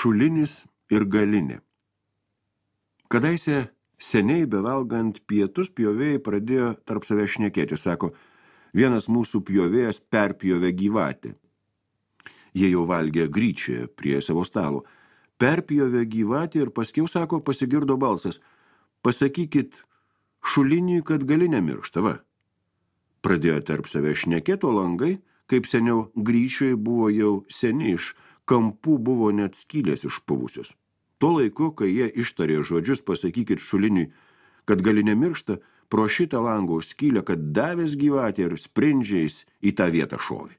Šulinis ir galinė. Kadaise seniai bevalgant pietus pjovėjai pradėjo tarp savęs šnekėti. Sako, vienas mūsų pjovėjas perpjovė gyvatę. Jie jau valgė gryčią prie savo stalo. Perpjovė gyvatę ir paskiau, sako, pasigirdo balsas. Pasakykit šuliniui, kad galinė miršta, va. Pradėjo tarp savęs šnekėti, o langai, kaip seniau gryčioje buvo jau seni, iš kampų buvo net skylės išpuvusios. Tuo laiku, kai jie ištarė žodžius, pasakykit šuliniui, kad galinė miršta, pro šitą lango skylę, kad davęs gyvatė ir sprindžiais į tą vietą šovė.